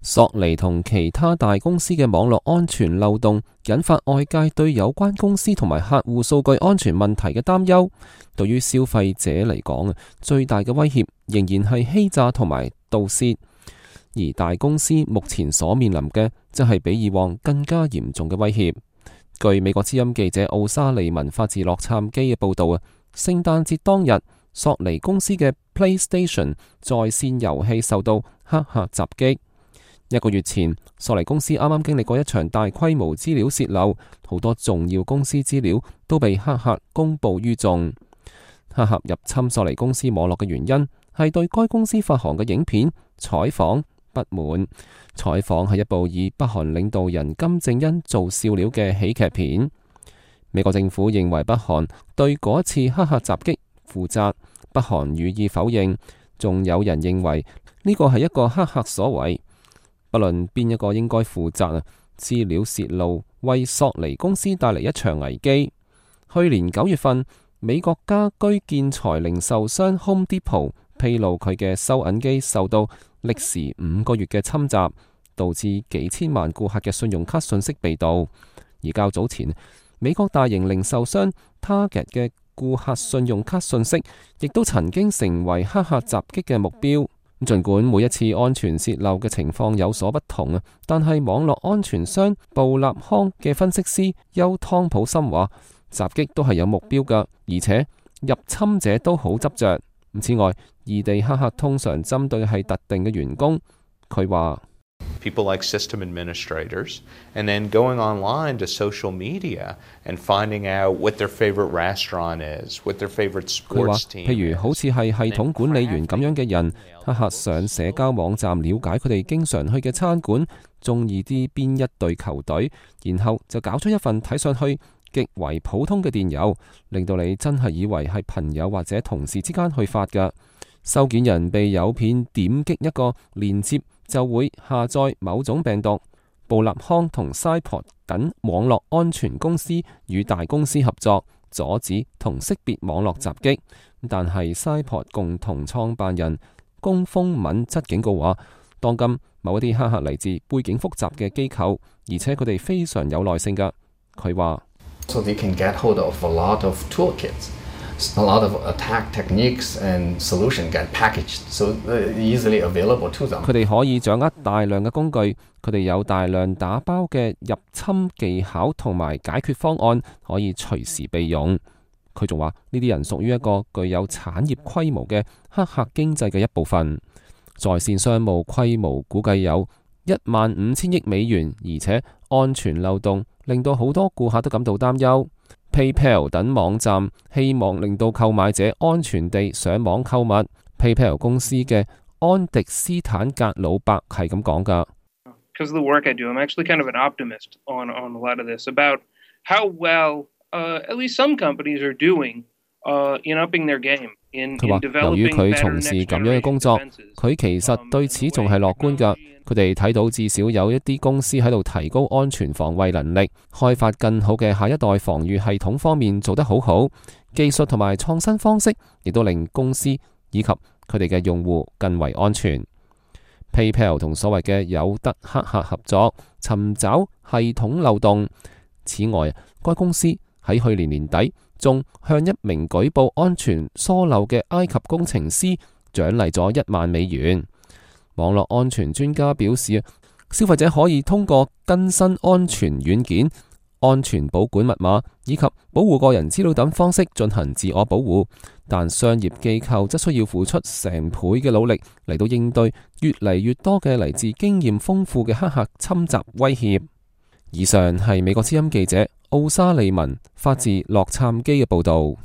索尼同其他大公司嘅網絡安全漏洞，引發外界對有關公司同埋客戶數據安全問題嘅擔憂。對於消費者嚟講，最大嘅威脅仍然係欺詐同埋盜竊，而大公司目前所面臨嘅，則係比以往更加嚴重嘅威脅。據美國之音記者奧沙利文發自洛杉磯嘅報道啊，聖誕節當日，索尼公司嘅 PlayStation 在線遊戲受到黑客襲擊。1個月前，索尼公司啱啱經歷過一場大規模資料洩漏，好多重要公司資料都被黑客公布於眾。黑客入侵索尼公司網絡嘅原因係對該公司發行嘅影片採訪不滿。採訪係一部以北韓領導人金正恩做笑料嘅喜劇片。美國政府認為北韓對嗰次黑客襲擊負責，北韓予以否認。仲有人認為呢個係一個黑客所為。不論邊一個應該負責啊，資料洩露為索尼公司帶嚟一場危機。去年9月份，美國家居建材零售商 Home Depot 披露佢嘅收銀機受到歷時5個月嘅侵襲，導致幾千萬顧客嘅信用卡信息被盜。而較早前，美國大型零售商 Target 嘅顧客信用卡信息亦都曾經成為黑客襲擊嘅目標。儘管每一次安全洩漏嘅情況有所不同啊，但係網絡安全商布立康嘅分析師邱湯普森話，襲擊都係有目標㗎，而且入侵者都好執着。此外，異地黑客通常針對係特定嘅員工。佢話people like system administrators, and then going online to social media and finding out what their favorite restaurant is, what their favorite sports team is. 譬如好似係系統管理員咁樣嘅人，黑客上社交網站了解佢哋經常去嘅餐館，中意啲邊一隊球隊，然後就搞出一份睇上去極為普通嘅電郵，令到你真係以為係朋友或者同事之間去發㗎。收件人被誘騙點擊一個鏈接，就會下載某種病毒。布立康同 Cyport 等網絡安全公司與大公司合作，阻止同識別網絡襲擊。但係 Cyport 共同創辦人龔峰敏則警告話，當今某一啲黑客嚟自背景複雜嘅機構，而且佢哋非常有耐性㗎。佢話So they can get hold of a lot of toolkits, a lot of attack techniques and solution get packaged, so easily available to them. 佢哋可以掌握大量嘅工具，佢哋有大量打包嘅入侵技巧同埋解決方案，可以隨時備用。佢仲話呢啲人屬於一個具有產業規模嘅黑客經濟嘅一部分，在線商務規模估計有15000億美元，而且安全漏洞令到好多顧客都感到擔憂。PayPal 等網站希望令到購買者安全地上網購物。PayPal 公司嘅安迪斯坦格魯伯係咁講㗎。Because of the work I do, I'm actually kind of an optimist on a lot of this about how well at least some companies are doing in upping their game. 佢話由於佢從事咁樣嘅工作，佢其實對此仲係樂觀㗎。佢哋睇到至少有一啲公司喺度提高安全防衛能力，開發更好嘅下一代防禦系統方面做得好好。技術同埋創新方式亦都令公司以及佢哋嘅用戶更為安全。PayPal 同所謂嘅有德黑客合作，尋找系統漏洞。此外，該公司喺去年年底仲向一名舉報安全疏漏嘅埃及工程師獎勵咗1萬美元。網絡安全專家表示，消費者可以通過更新安全軟件、安全保管密碼以及保護個人資料等方式進行自我保護，但商業機構則需要付出成倍嘅努力嚟到應對越嚟越多嘅嚟自經驗豐富嘅黑客侵襲威脅。以上係美國之音記者奧沙利文發自洛杉磯嘅報道。